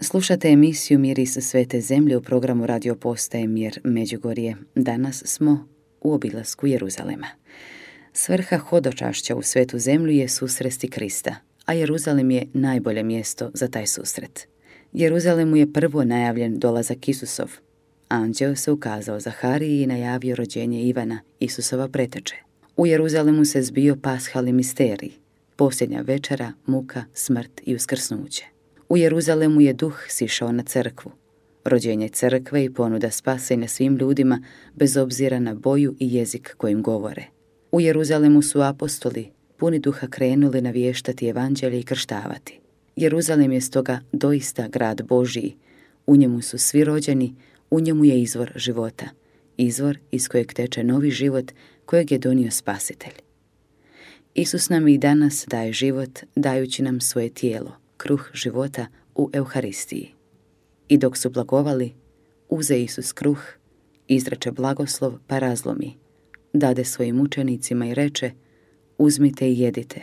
Slušate emisiju Miris svete zemlje u programu Radio Postaje Mir Međugorje. Danas smo u obilasku Jeruzalema. Svrha hodočašća u svetu zemlju je susresti Krista, a Jeruzalem je najbolje mjesto za taj susret. Jeruzalemu je prvo najavljen dolazak Isusov. Anđeo se ukazao Zahariji i najavio rođenje Ivana, Isusova preteče. U Jeruzalemu se zbio pashalni misterij, posljednja večera, muka, smrt i uskrsnuće. U Jeruzalemu je duh sišao na crkvu, rođenje crkve i ponuda spasenja svim ljudima bez obzira na boju i jezik kojim govore. U Jeruzalemu su apostoli puni duha krenuli navještati evanđelje i krštavati. Jeruzalem je stoga doista grad Božiji, u njemu su svi rođeni, u njemu je izvor života, izvor iz kojeg teče novi život kojeg je donio Spasitelj. Isus nam i danas daje život dajući nam svoje tijelo, kruh života u Euharistiji. I dok su blagovali, uze Isus kruh, izreče blagoslov pa razlomi, dade svojim učenicima i reče: uzmite i jedite,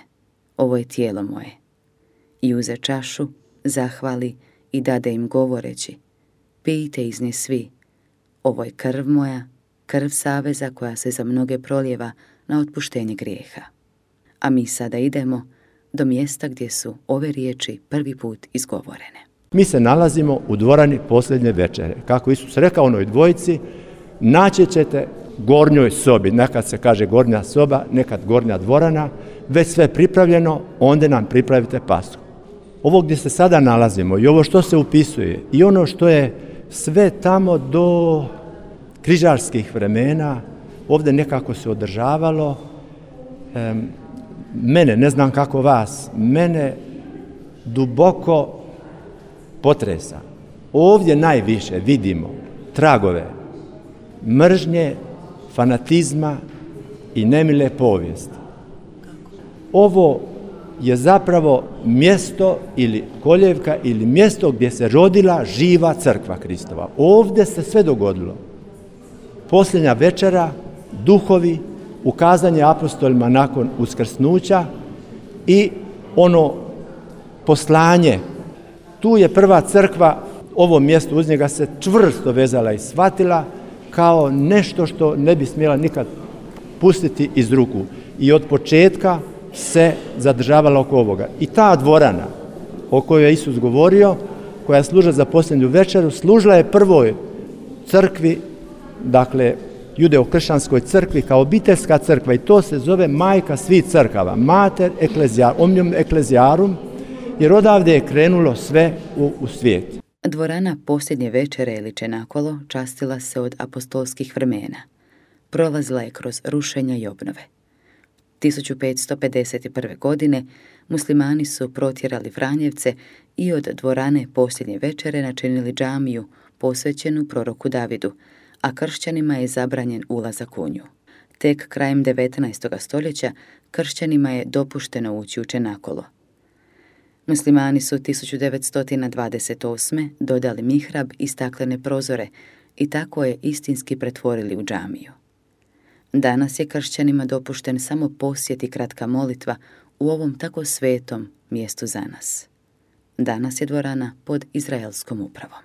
ovo je tijelo moje. I uze čašu, zahvali i dade im govoreći: pijte iz nje svi, ovo je krv moja, krv saveza koja se za mnoge prolijeva na otpuštenje grijeha. A mi sada idemo do mjesta gdje su ove riječi prvi put izgovorene. Mi se nalazimo u dvorani posljednje večere. Kako Isus rekao onoj dvojici, naći ćete gornjoj sobi, nekad se kaže gornja soba, nekad gornja dvorana, već sve pripravljeno, onda nam pripravite Pashu. Ovo gdje se sada nalazimo i ovo što se upisuje i ono što je sve tamo do križarskih vremena, ovdje nekako se održavalo. Mene, ne znam kako vas, mene duboko potresa. Ovdje najviše vidimo tragove mržnje, fanatizma i nemile povijesti. Ovo je zapravo mjesto ili koljevka ili mjesto gdje se rodila živa crkva Kristova. Ovdje se sve dogodilo. Posljednja večera, duhovi, ukazanje apostolima nakon uskrsnuća i ono poslanje. Tu je prva crkva, ovo mjesto uz njega se čvrsto vezala i shvatila kao nešto što ne bi smjela nikad pustiti iz ruku. I od početka se zadržavala oko ovoga. I ta dvorana o kojoj je Isus govorio, koja služila za posljednju večeru, služila je prvoj crkvi, dakle judeo-kršćanskoj crkvi kao obiteljska crkva, i to se zove majka svih crkava, mater omnium ecclesiarum, jer odavde je krenulo sve u svijet. Dvorana posljednje večere ili čenakolo častila se od apostolskih vremena. Prolazila je kroz rušenja i obnove. 1551. godine muslimani su protjerali Franjevce i od dvorane posljednje večere načinili džamiju posvećenu proroku Davidu, a kršćanima je zabranjen ulazak u nju. Tek krajem 19. stoljeća kršćanima je dopušteno ući u čenakolo. Muslimani su 1928. dodali mihrab i staklene prozore i tako je istinski pretvorili u džamiju. Danas je kršćanima dopušten samo posjet i kratka molitva u ovom tako svetom mjestu za nas. Danas je dvorana pod izraelskom upravom.